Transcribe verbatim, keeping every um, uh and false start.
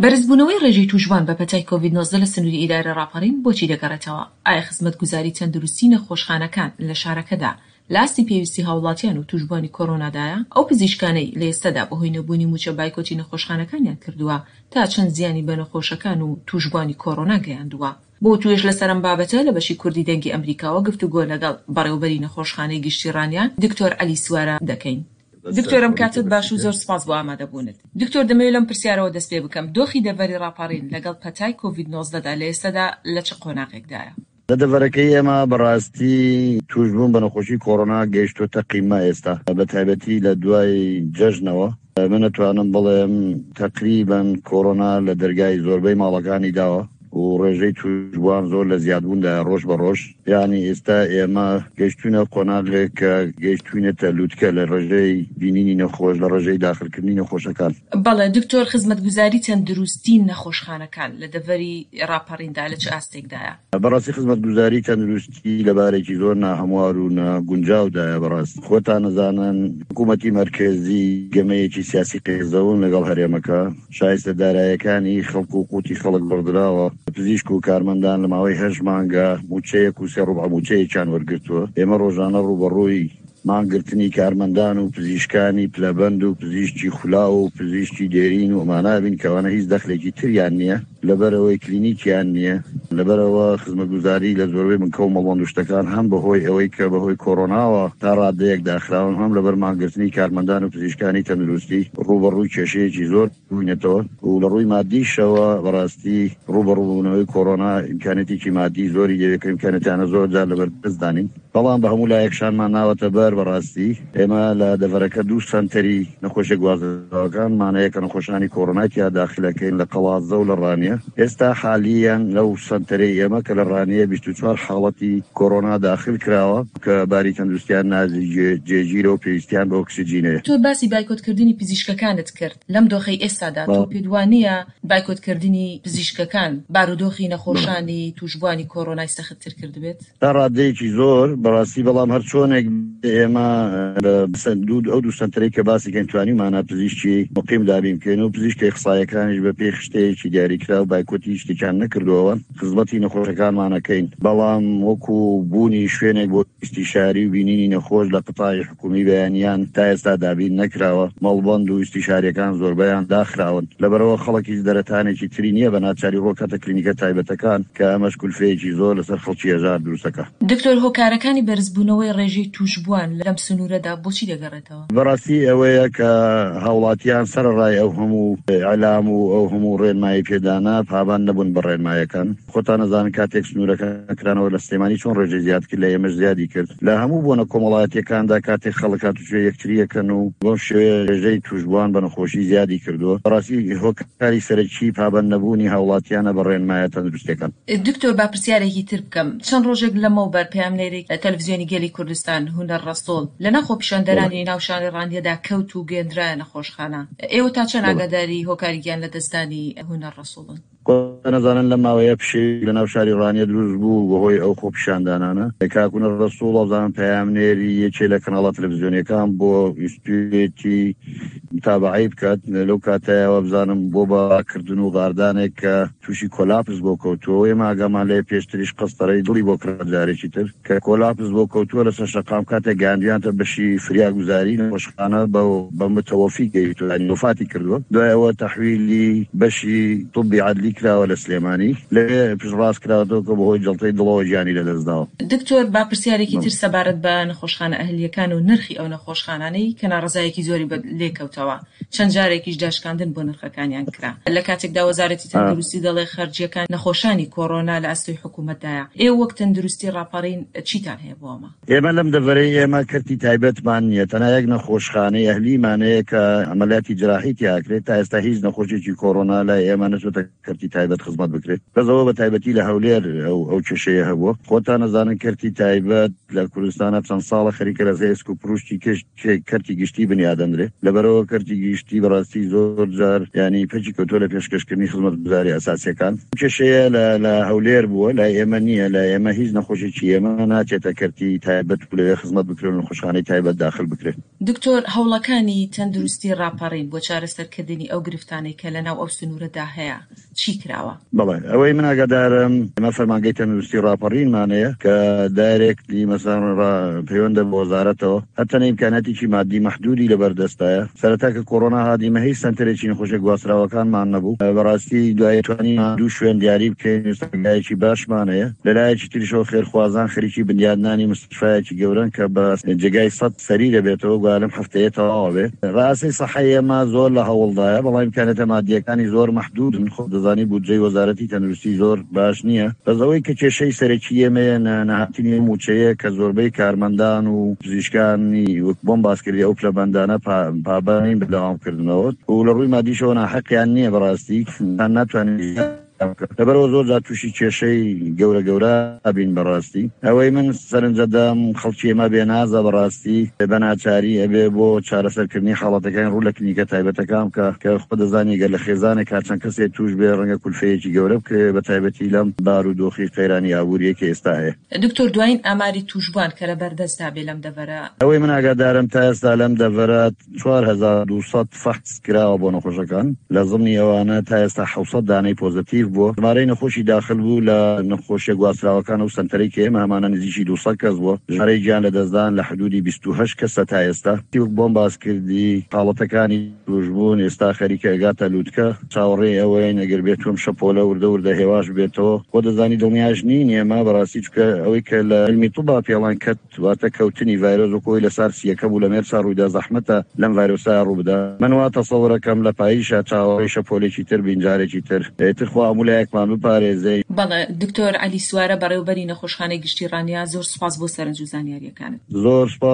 بەرزبوونەوەی ڕێژەی تووشبووان بە پەتای کۆڤید نۆزدە لە سنووری ئیدارەی ڕاپەڕین بۆچی دەگەڕێتەوە؟ ئایا خزمەتگوزاری تەندروستی نەخۆشخانەکان لە شارەکەدا لە ئاستی پێویستی هاوڵاتیان و تووشبووانی کۆرۆنادایە؟ ئەو پزیشکانەی لە ئێستادا بەهۆی نەبوونی مووچە بایکۆتی نەخۆشخانەکانیان کردووە تا چەند زیانی بە نەخۆشەکان و تووشبووانی کۆرۆنا گەیاندووە؟ بۆ وتوێژ لەسەر ئەم بابەتە لە بەشی کوردی دەنگی ئەمریکاوە گفتوگۆ لەگەڵ بەڕێوەبەری نەخۆشخانەی گشتی ڕانیە دکتۆر عەلی سوارە دەکەین. دکتۆر ئەم کاتەت باش و زۆر سپاس بۆ ئامادەبوونت. دکتۆر دەمەوێت لەم پرسیارەوە دەست پێ بکەم، دۆخی دەڤەری ڕاپەڕین لەگەڵ پەتای کۆڤید نۆزدە دا لە ئێستادا لە چ قۆناغێکدایە؟ لە دەڤەرەکەی ئێمە بەڕاستی تووشبوون بە نەخۆشی کۆرۆنا گەیشتۆتە قیمە ئێستا، بە تایبەتی لە دوای جەژنەوە. من ئەتوانم بڵێم تەقریبەن کۆرۆنا لە دەرگای زۆربەی ماڵەکانی داوە و ڕێژەی تووشبووان زۆر لە زیادبووندایە ڕۆژ بە ڕۆژ. یانی ئێستا ئێمە گەیشتوینە قۆناغێک کە گەیشتوینەتە لوتکە لە ڕێژەی بینینی نەخۆش، لە ڕێژەی داخلکردنی نەخۆشەکان. بەڵێ دکتۆر، خزمەتگوزاری تەندروستی نەخۆشخانەکان لە دەڤەری ڕاپەڕیندا لە چ ئاستێکدایە؟ بەڕاستی خزمەتگوزاری تەندروستی لە بارێکی زۆر ناهەموار و ناگونجاودایە. بەڕاست خۆتان نەزانن حکوومەتی مەرکەزی گەمەیەکی سیاسی قێزەون لەگەڵ هەرێمەکە، شایستە دارایەکانی خەڵک و قوتی خەڵک بڕدراوە. پزیشک و کارمەندان لە ماوەی هەشت مانگە مووچەیەک و سێ ڕوبع مووچەیەکیان وەرگرتووە. ئێمە ڕۆژانە ڕووبەڕووی مانگرتنی کارمەندان و پزیشکانی پلەبەند و پزیشکی خولاو و پزیشکی دێرین و ئەمانە بین کە ئەوانە هیچ دەخلێکی تریان نییە، لەبەرئەوەی کلینیکیان نییە، لەبەرئەوە خزمەتگوزاری لە زۆربەی بنکە و مەڵبەند و شتەکان هەم بەهۆی ئەوەی کە بەهۆی کۆرۆناوە تا ڕادەیەک داخراون، هەم لەبەر مانگرتنی کارمەندان و پزیشکانی تەندروستی ڕووبەڕووی کێشەیەکی زۆر بووینەتەوە و لە ڕووی مادیشەوە بەڕاستی ڕووبەڕووبوونەوەی کۆرۆنا ئیمکانیەتێکی مادی زۆری دەوێت کە ئیمکانیەتانە زۆر جار لەبەر دەستدانین، بەڵام بە هەموو لایەک شانمان ناوەتە بەر. بەڕاستی ئێمە لە دەڤەرەکە دوو سەنتەری نەخۆشیە گوازراوەکانمان هەیە کە نەخۆشانی کۆرۆنای تیا داخلەکەین لە قەڵادزە و لە ڕانیە. ئێستا حالیەن لەو سەنتەرەی ئێمە کە لە ڕانیە بیست و چوار حاڵەتی کۆرۆنا داخل کراوە کە باری تەندروستیان ناجێگیرە و پێویستیان بە ئۆکسجین هەیە. تۆ باسی بایکۆتکردنی پزیشکەکانت کرد، لەم دۆخەی ئێستادا تۆ پێت وانییە بایکۆتکردنی پزیشکەکان بارودۆخی نەخۆشانی تووشبووانی کۆرۆنای سەختتر کردبێت؟ تا ڕادەیەکی زۆر بەڕاستی، بەڵام هەر چۆنێک ئێمە ئەو دوو سەنتەرەی کە باسی کەین توانیومانە پزیشکی مقیم دابین بکەین و پزیشکە ئیخساییەکانیش بە پێی خشتەیەکی دیاریکراو بایکۆتی شتێکیان نەکردووە، خزمەتی نەخۆشەکانمان ئەکەین، بەڵام وەکو بوونی شوێنێک بۆ ئیستیشاری و بینینی نەخۆش لە قەتاعی حکومی بەیانیان تا ئێستا دابین نەکراوە، مەڵبەند و ئیستیشاریەکان زۆربەیان داخراون، لەبەرئەوە خەڵک هیچ دەرەتانێکی تری نییە بە ناچاری ڕۆکاتە کلینیکە تایبەتەکان کە ئەمەش کولفەیەکی زۆر لەسەر خەڵکی هەژار دروستەکا. دکتۆر هۆکارەکانی بەرزبوونەوەی ڕێژەی تووشبووان لەم سنوورەدا بۆچی دەگەڕێتەوە؟ بەڕاستی ئەوەیە کە هاوڵاتیان سەرەڕای ئەو هەموو ئیعلام و ئەو هەموو ڕێنمایی پێدانە پابەند نەبوون بە ڕێنمایەکان. خۆتان ئەزانن کاتێک سنوورەکان کرانەوە لە سلێمانی چۆن ڕێژەی زیاد کرد لە ئێمەش زیادی کرد. لە هەموو بۆنە کۆمەڵایەتیەکاندا کاتێک خەڵک هاتوچۆی یەکتری ئەکەن و بەم شێوەیە ڕێژەی تووشبووان بە نەخۆشی زیادی کردووە. بەڕاستی هۆکاری سەرەکی پابەند نەبوونی هاوڵاتیانە بە ڕێنمایە تەندروستیەکان. دکتۆر با پرسیارێکی تر بکەم، چەند ڕۆژێک لەمەوبەر پەیامنێری تەلەفزیۆنی گەلی کوردستان هونەر ڕەسوڵ لەناو بەڵێ. خۆپیشاندەرانی ناو شاری ڕانیەدا کەوت و گەیەندرایە نەخۆشخانە، ئێوە تا چەند بەڵێ. ئاگاداری هۆکاری گیان لەدەستدانی هونەر ڕەسوڵن؟ خۆتان ئەزانن لەم ماوەیە پشێوی لەناو شاری ڕانیە دروست بوو بەهۆی ئەو خۆپیشاندانانە. کاک هونەر ڕەسوڵ وابزانم پەیامنێری یەکێ لە کەناڵە تەلەفزیۆنیەکان بۆ ویستویەتی متابەعەی بکات، لەو کاتەیە وابزانم بۆ باکردن و غاردانێک کە تووشی کۆلاپس بۆ کەوتووە و ئێمە ئاگامان لێ پێشتریش قەستەرەی دڵی بۆ کرا جارێکی تر کە کۆلاپس بۆ کەوتووە لەسەر شەقام کاتێک گەیاندویانتە بەشی فریاگوزاری نەخۆشخانە بە بە متەوەفی گەیشتووە یانی وەفاتی کردووە دوای ئەوە تەحویلی بەشی طبی عەدلی کراوە لە سلێمانی لەوێ پشتڕاست کراوەتەوە کە بەهۆی جەڵتەی دڵەوە گیانی لەدەستداوە. دکتۆر با پرسیارێکی تر سەبارەت بە نەخۆشخانە ئەهلییەکان و نرخی ئەو نەخۆشخانانەی کە ناڕەزایەکی زۆری بە لێکەوتەوە چەند جارێکیش داشکاندن بۆ نرخەکانیان کرا لە کاتێکدا وەزارەتی تەندروستی دەڵێ خەرجییەکان نەخۆشانی کۆرۆنا لە ئەستۆی حکوومەتدایە ئێوە وەک تەندروستی ڕاپەڕین چیتان هەیە بۆ ئەمە؟ ئێمە لەم دەڤەرەی ئێمە کەرتی تایبەتمان نییە، تەنها یەک نەخۆشخانەی ئەهلیمان هەیە کە عەمەلیاتی جراحی تیا ئەکرێت، تا ئێستا هیچ نەخۆشێکی کۆرۆنا لای ئێمە نەچۆتە کەرتی تایبەت خزمەت بکرێت. بەس ئەوە بە تایبەتی لە هەولێر ئەو ئەو کێشەیە هەبووە. خۆتان ئەزانن کەرتی تایبەت لە کوردستانە چەند ساڵە خەریکە لە ئێسک و پروشتی کشت کەرتی گشتی بنیادەندرێ. لەبەرەوە کەرتی گشتی بەڕاستی زۆر جار ینی پەکی کەوتووە لە پێشکەشکردنی خزمەتگوزاری ئەساسیەکان. کێشەیە لە لە هەولێر بووە، لای ئێمە نییە. لای ئێمە هیچ نەخۆشێکی ئێمە ناچێتە کەرتی تایبەت و لەوێ خزمەت بکرێن و نەخۆشخانەی تایبەت داخل بکرێت. دکتۆر، هەوڵەکانی تەندروستی ڕاپەڕین بۆ چارەسەرکردنی ئەو گرفتانەی کە لەناو ئەو سنوورەدا هەیە چی کراوە؟ بەڵێ، ئەوەی من ئاگادارم ئێمە فەرمانگەی تەندروستی ڕاپەڕینمان هەیە کە directly مەسەڵەن پەیوەندە بە وەزارەتەوە، هەرچەندە ئیمکاناتێکی مادی مەحدودی لەبەردەستایە. سەرەتا کە کۆرۆنا هات ئێمە هیچ سەنتەرێکی نەخۆشیە گواستراوەکانمان نەبوو. بەڕاستی دوای توانیمان دوو شوێن دیاری بکەین، سەرگایەکی باشمان هەیە. لەلایەکی تریشەوە خێرخوازان خەریکی بنیادنانی مستشفایەکی گەورەن کە بە جێگای سەد سەریر بێتەوە، گوایە لەم هەفتەیە تەواوە بێ. ڕاستی سەحەی ئێمە زۆر لە هەوڵدایە، بەڵام ئیمکاناتە مادیەکانی زۆر مەحدودن. خۆ دەزانی بودجەی وەزارەتی تەندروستی زۆر باش نییە. بەس ئەوەی کە کێشەی سەرەکی ئێمەیە نەهاتنی ئەو موچەیە کە زۆربەی کارمەندان و پزیشکانی وەک بۆم باس کردی ئەو پلەبەندانە پابەند نین بە دەوامکردنەوە و لە ڕووی مادیشەوە ناحەقیان نییە. بەڕاستی ناتوانین، لەبەرەوە زۆر جار تووشی کێشەی گەورە گەورە بین. بەڕاستی ئەوەی من سەرنجەدەم خەڵکی ئێمە بێنازە، بەڕاستی بە ناچاری ئەبێ بۆ چارەسەرکردنی حاڵەتەکانی ڕوو لە کلینیکە تایبەتەکان بکە، کە خۆ دەزانی گەر لە خێزانێک چەند کەسێک توش بێ ڕەنگە کولفەیەکی گەورە بکەوێ، بە تایبەتی لەم بارودۆخی قەیرانی ئابووریە کە ئێستا هەیە. دکتۆر، دوایین ئاماری تووشبووان کە لە بەردەستدا بێ لەم دەڤەرە؟ ئەوەی من ئاگادارم تا ئێستا لەم دەڤەرە چوار هەزار دوو سەد فەحس کراوە بۆ نەخۆشەکان، لە زمنی ئەوانە تا ئێستا حەوت سەد دانەی پۆزەتیڤ بووە. ژمارەی نەخۆشی داخل بوو لە نەخۆشیە گواستراوەکان و سەنتەرەی کە ئێمە هەمانە نزیکی دوو سەد کەس بووە. ژمارەی گیان لەدەستدان لە حدودی بیست و هەشت کەسە تا ئێستا. وەک بۆم باس کردی حاڵەتەکانی تووشبوون ئێستا خەریکە ئەگاتە لوتکە. چاوەڕێی ئەوەین ئەگەر بێتوم شەپۆلە وردە وردە هێواش بێتەوە. خۆ دەزانی دڵنیاش نین ئێمە بەڕاستی، چونکە ئەوەی کە لە علمی طبا پێڵان کەت واتە کەوتنی ڤایرۆس وەکو ئەوەی لە سارس یەکە بوو لە مێرسا ڕوویدا، زەحمەتە لەم ڤایرۆسا ڕوو بدا. من وا تەسەورەکەم لە پاییشا چاوەڕێی شەپۆلێکی تر بین جارێکی تر. ئیتر خوا هەموو لایەکمان بپارێزێ. بەڵێ دکتۆر عەلی سوارە، بەڕێوەبەری نەخۆشخانەی گشتی ڕانیە، زۆر سوپاس بۆ سەرنج و زانیاریەکانت. زۆر سوپاس.